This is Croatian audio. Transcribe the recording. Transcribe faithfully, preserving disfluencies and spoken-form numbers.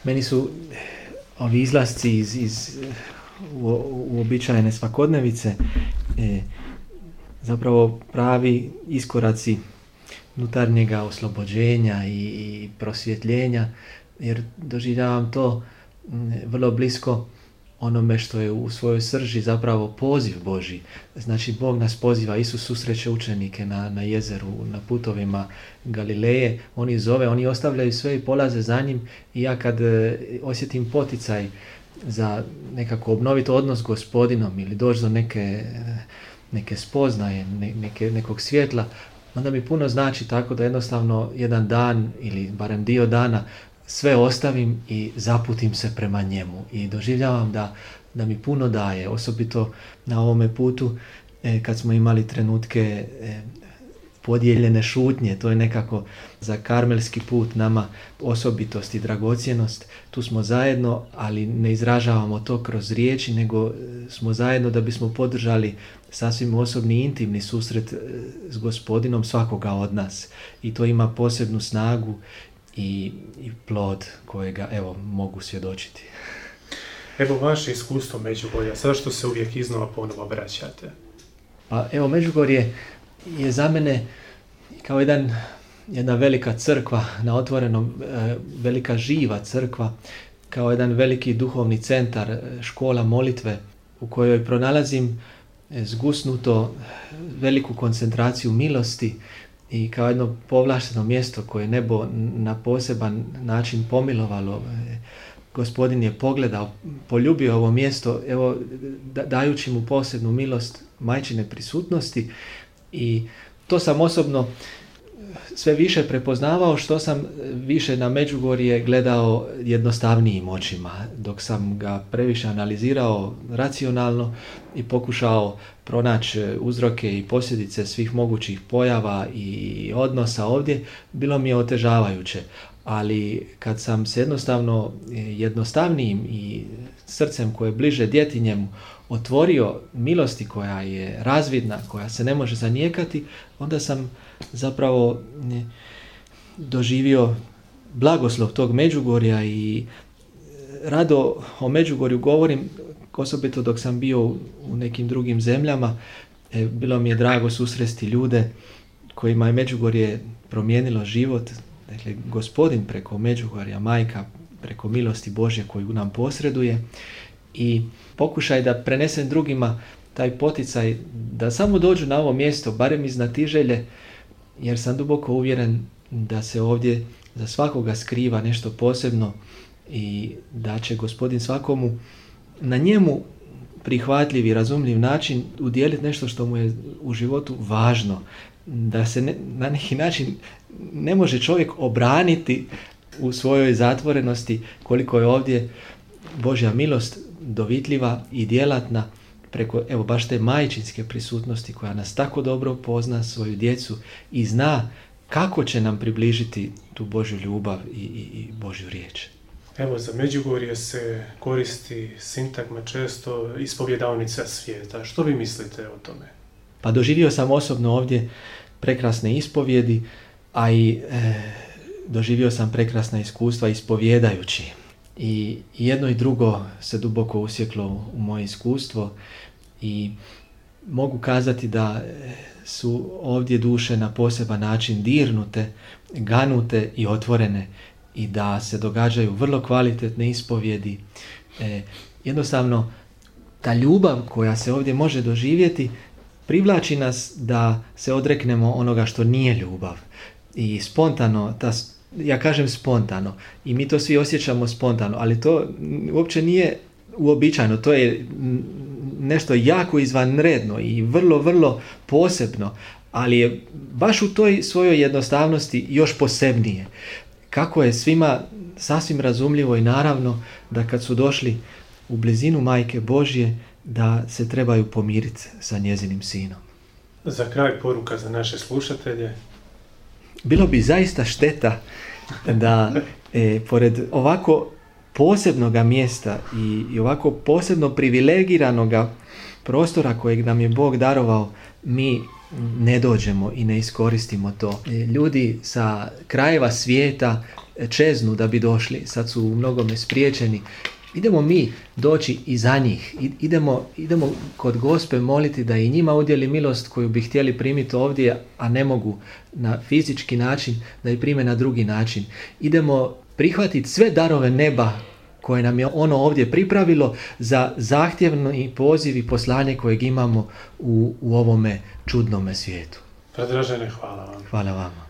Meni su ovi izlasci iz, iz uobičajene svakodnevice e, zapravo pravi iskoraci unutarnjega oslobođenja i, i prosvjetljenja, jer doživljavam to m, vrlo blisko onome što je u svojoj srži zapravo poziv Božji. Znači, Bog nas poziva, Isus susreće učenike na, na jezeru, na putovima Galileje, oni zove, oni ostavljaju sve i polaze za njim, i ja kad e, osjetim poticaj za nekako obnoviti odnos s Gospodinom ili doći do neke, neke spoznaje, ne, neke, nekog svjetla, onda mi puno znači tako da jednostavno jedan dan ili barem dio dana sve ostavim i zaputim se prema njemu i doživljavam da, da mi puno daje, osobito na ovome putu e, kad smo imali trenutke e, podijeljene šutnje. To je nekako za karmelski put nama osobitost i dragocjenost. Tu smo zajedno, ali ne izražavamo to kroz riječi, nego smo zajedno da bismo podržali sasvim osobni, intimni susret s Gospodinom svakoga od nas. I to ima posebnu snagu i, i plod kojega, evo, mogu svjedočiti. Evo vaše iskustvo Međugorja, zašto se uvijek iznova ponovo vraćate? Pa evo, Međugorje je za mene kao jedan, jedna velika crkva na otvorenom, velika živa crkva, kao jedan veliki duhovni centar, škola molitve u kojoj pronalazim zgusnuto veliku koncentraciju milosti i kao jedno povlašteno mjesto koje nebo na poseban način pomilovalo. Gospodin je pogledao, poljubio ovo mjesto, evo, dajući mu posebnu milost majčine prisutnosti, i to sam osobno sve više prepoznavao što sam više na Međugorje gledao jednostavnijim očima, dok sam ga previše analizirao racionalno i pokušao pronaći uzroke i posljedice svih mogućih pojava i odnosa ovdje, bilo mi je otežavajuće. Ali kad sam se jednostavno jednostavnijim i srcem koje je bliže djetinjemu otvorio milosti koja je razvidna, koja se ne može zanijekati, onda sam zapravo doživio blagoslov tog Međugorja i rado o Međugorju govorim, osobito dok sam bio u nekim drugim zemljama. E, bilo mi je drago susresti ljude kojima je Međugorje promijenilo život. Dakle, Gospodin preko Međugorja, Majka preko milosti Božje koju nam posreduje, i pokušaj da prenesem drugima taj poticaj da samo dođu na ovo mjesto, barem iz Znatiželje, jer sam duboko uvjeren da se ovdje za svakoga skriva nešto posebno i da će Gospodin svakomu na njemu prihvatljiv i razumljiv način udjeliti nešto što mu je u životu važno. Da se ne, na neki način ne može čovjek obraniti u svojoj zatvorenosti koliko je ovdje Božja milost dovitljiva i djelatna preko, evo, baš te majčinske prisutnosti koja nas tako dobro pozna, svoju djecu, i zna kako će nam približiti tu Božju ljubav i, i, i Božju riječ. Evo, za Međugorje se koristi sintagma često ispovjedaonica svijeta. Što vi mislite o tome? Pa doživio sam osobno ovdje prekrasne ispovjedi, a i e, doživio sam prekrasna iskustva ispovjedajući. I jedno i drugo se duboko usjeklo u moje iskustvo i mogu kazati da su ovdje duše na poseban način dirnute, ganute i otvorene, i da se događaju vrlo kvalitetne ispovjedi. E, jednostavno, ta ljubav koja se ovdje može doživjeti privlači nas da se odreknemo onoga što nije ljubav. I spontano, ta, ja kažem spontano, i mi to svi osjećamo spontano, ali to uopće nije uobičajeno, to je nešto jako izvanredno i vrlo, vrlo posebno, ali je baš u toj svojoj jednostavnosti još posebnije. Kako je svima sasvim razumljivo i naravno da kad su došli u blizinu Majke Božje, da se trebaju pomiriti sa njezinim sinom. Za kraj poruka za naše slušatelje. Bilo bi zaista šteta da e, pored ovako posebnoga mjesta i, i ovako posebno privilegiranoga prostora kojeg nam je Bog darovao, mi ne dođemo i ne iskoristimo to. E, ljudi sa krajeva svijeta čeznu da bi došli, sad su u mnogome spriječeni. Idemo mi doći i za njih. Idemo, idemo kod Gospe moliti da i njima udjeli milost koju bi htjeli primiti ovdje, a ne mogu na fizički način, da i prime na drugi način. Idemo prihvatiti sve darove neba koje nam je ono ovdje pripravilo za zahtjevni poziv i poslanje kojeg imamo u, u ovome čudnome svijetu. Predražene, hvala vam. Hvala vama.